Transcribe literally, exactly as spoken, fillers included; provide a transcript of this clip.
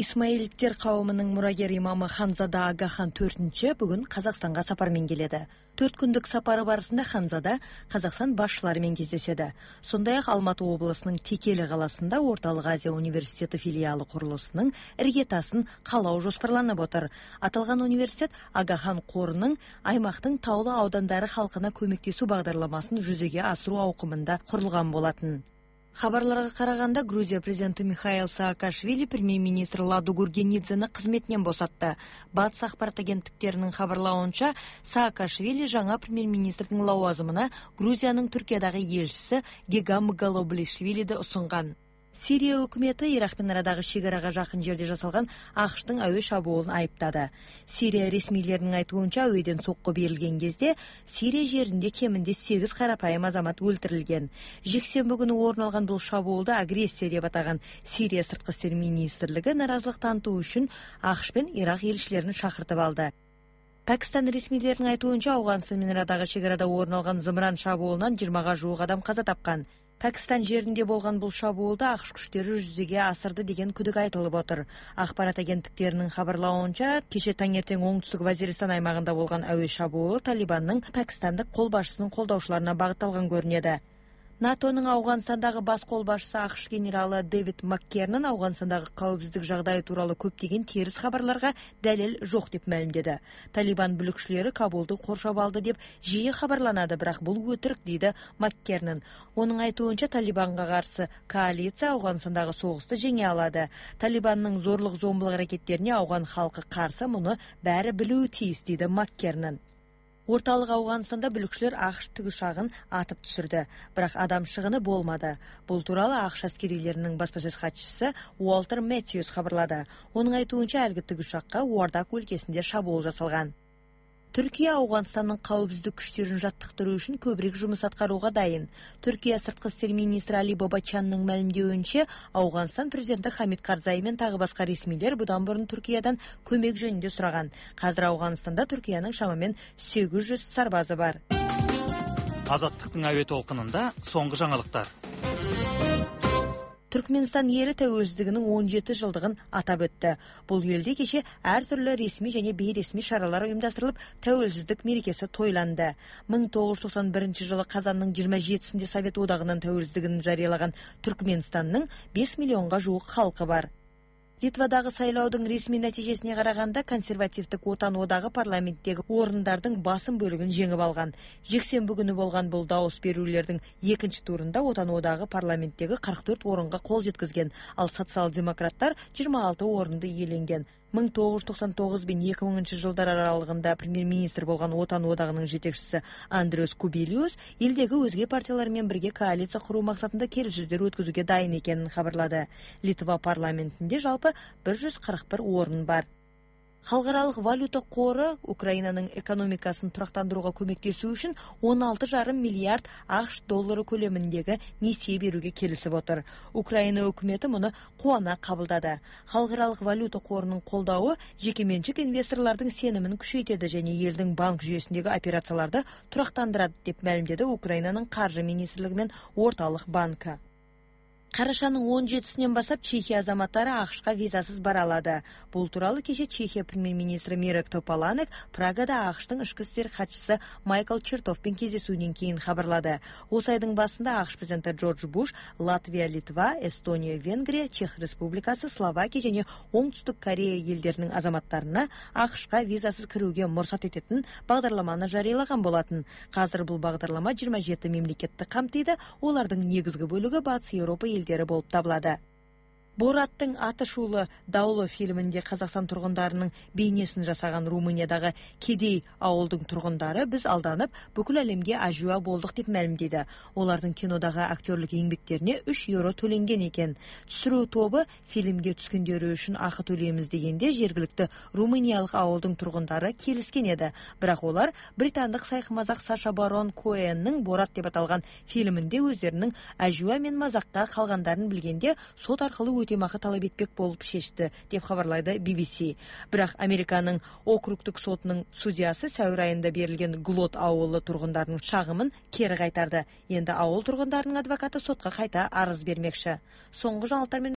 Исмаилиттер кауымунун мурагер имамы Ханзада Агахан төртүнчү бүгүн Казакстанга сапар менен келеді. Төрт күндүк сапары барысында Ханзада Казакстан башчылары менен кездешет. Сондай ак Алматы облусунун Текели каласында Ортолук Азия университети филиалы курулуусунун ыргетасын калоо жоспарланып отур. Аталган университет Агахан корунун аймактын таулуу аудандары халкына көмөктөшүү багдарламасын жүзөгө асыруу аукумунда курулган болотун. Хабарларга караганда, Грузия президенти Михаил Саакашвили премьер-министр Ладу Гургенидзени кызметинен босатты. Батыс акпарат агенттиктеринин хабарлауынча, Саакашвили жаңа премьер-министрдин лауазымына Грузиянын Түркиядагы элчиси Гегам Галоблишвилиди усунган. Сирия өкмөтү Ирак менен арадагы чегарага жакын жерде жасалган АКШтын абий шабуулун айыптады. Сирия ресмийлеринин айтуунча, абийден сокку берилген кезде Сирия жеринде кеминде сегиз карапайым азамат өлтүрүлгөн. Жексенби күнү орун алган бул шабуулду агрессия деп атаган Сирия сырткы иштер министрлиги наразылык тантуу үчүн АКШ мен Ирак элчилерин шакыртып алды. Пакистан ресмийлеринин айтуунча, Афганистан менен арадагы чегарада орун алган зымыран шабуулунан жыйырмага жуук адам каза тапкан. Пакистан жеринде болгон бул шабуулду АКШ күчтөрү жүзөгө асырды деген күдүк айтылып отур. Акпарат агенттиктеринин хабарлауынча, кече таңертең оңтүстүк Вазиристан аймагында болгон абий шабуул Талибандын Пакистандык кол башчысынын колдоочуларына багытталган көрүнөт. НАТОнун Афганистандагы бас кол башчысы АКШ генералы Дэвид Маккернон Афганистандагы коопсуздук жагдайы тууралуу көптөгөн терс кабарларга далил жок деп маалимдеди. Талибан бүлүкчүлөрү Кабулду коршоп алды деп жиі кабарланады, бирок бул өтүрүк, дейди Маккернон. Онун айтуунча, Талибанга каршы коалиция Афганистандагы согусту жеңе алады. Талибандын зорлук зомбулук аракеттерине афган халкы каршы, муну баары билүү тийиз, дейди Маккернон. Ортолук Афганистанда бүлүкчүлөр АКШ тигушагын атып түшүрдү, бирок адам шыгыны болмады. Бул тууралуу АКШ аскерийлеринин басма сөз катчысы Уолтер Мэтьюс кабарлады. Онун айтуунча, алги тигушакка Уардак өлкесинде шабуул жасалган. Түркия Афганистандын коопсуздук күчтөрүн жаттыктыруу үчүн көбүрөөк жумуш аткарууга дайын. Түркия сырткы иштер министри Али Бабачанын маалимдеуинче, Афганистан президенти Хамид Карзай менен дагы башка ресмийлер будан мурун Түркиядан көмөк жөнүндө сураган. Азыр Афганистанда Түркиянын шамамен сегиз жүз сарбазы бар. Азаттыктын аба толкунунда соңку жаңылыктар. Түркменстан эли тәуелсиздигинин он жети жылдыгын атап өттү. Бул элде кече ар түрлүү ресми жана бейресми шаралар уюмдастырылып, тәуелсиздик мерекеси тойланды. миң тогуз жүз токсон биринчи жылы Казандын жыйырма жетисинде Совет Одагынын тәуелсиздигин жарыялаган Түркменстандын беш миллионго жуук халкы бар. Литвадагы сайлоодун ресми натыйжесине караганда, консервативдик Отан одагы парламенттеги орундардын басым бөлүгүн жеңип алган. Жексенби күнү болгон бул дауыс берүүлөрдүн экинчи турунда Отан одагы парламенттеги кырк төрт орунга кол жеткизген, ал социал-демократтар жыйырма алты орунду ээленген. миң тогуз жүз токсон тогуз мен эки миңинчи жылдар аралыгында премьер-министр болгон Отан одагынын жетекчиси Андрес Кубилиус элдеги өзге партиялар менен бирге коалиция куруу максатында келишүүлөр өткөзүүгө дайын экенин кабарлады. Литва парламентинде жалпы бир жүз кырк бир орун бар. Халкаралык валюта кору Украинанын экономикасын турактандырууга көмөктөшүү үчүн он алты жарым миллиард АКШ доллары көлөмүндөгү несие берүүгө келишип отур. Украина өкмөтү муну кубана кабылдады. Халкаралык валюта корунун колдообу жеке менчик инвесторлордун сенимин күчөйтөдү жана элдин банк жүйөсүндөгү операцияларды турактандырат деп маалимдеди Украинанын каржы министрлиги менен Ортолук банкы. Карашанын он жетисинен баштап Чехия азаматтары АКШка визасыз бара алады. Бул тууралуу кече Чехия премьер-министри Мирек Тополанек Прагада АКШтын ички иштер катчысы Майкл Чертовпен кездесүүдөн кийин кабарлады. Осы айдын башында АКШ президенти Джордж Буш Латвия, Литва, Эстония, Венгрия, Чех Республикасы, Словакия жана Оңтүстүк Корея элдеринин азаматтарына АКШка визасыз кирүүгө мурсат этетін багдарламаны жарыялаган болатын. Азыр бул багдарлама жыйырма жети мемлекетти камтыйды, олардын негизги бөлүгү Батыс Европа элдери болуп табылады. Бораттын атышуулу Даулы фильминде Казакстан тургундарынын бейнесин жасаган Румыниядагы Кедей ауылдың тургундары биз алданып, бүкүл әлемге ажуа болдук деп маалимдейди. Олардын кинодагы актерлик еңбектерине үч евро төленген экен. Түшүрүү тобу фильмге түскөндөрү үчүн акы төлөйбүз дегенде жергиликтүү румыниялык ауылдың тургундары келишкен эди. Бирок олар британдык сайкы-мазак Саша Барон Коэннин Борат деп аталган фильминде өздөрүнүн ажуа мен мазакка калгандарын билгенде сот аркылуу өтемакы талап этпек болуп чечти деп кабарлайды би би си. Бирок Американын округдук сотунун судьясы сәуір айында берилген Глот ауылы тургундарынын шагымын кери кайтарды. Энди ауыл тургундарынын адвокаты сотко кайта арыз бермекчи. Соңку жаңылыктар менен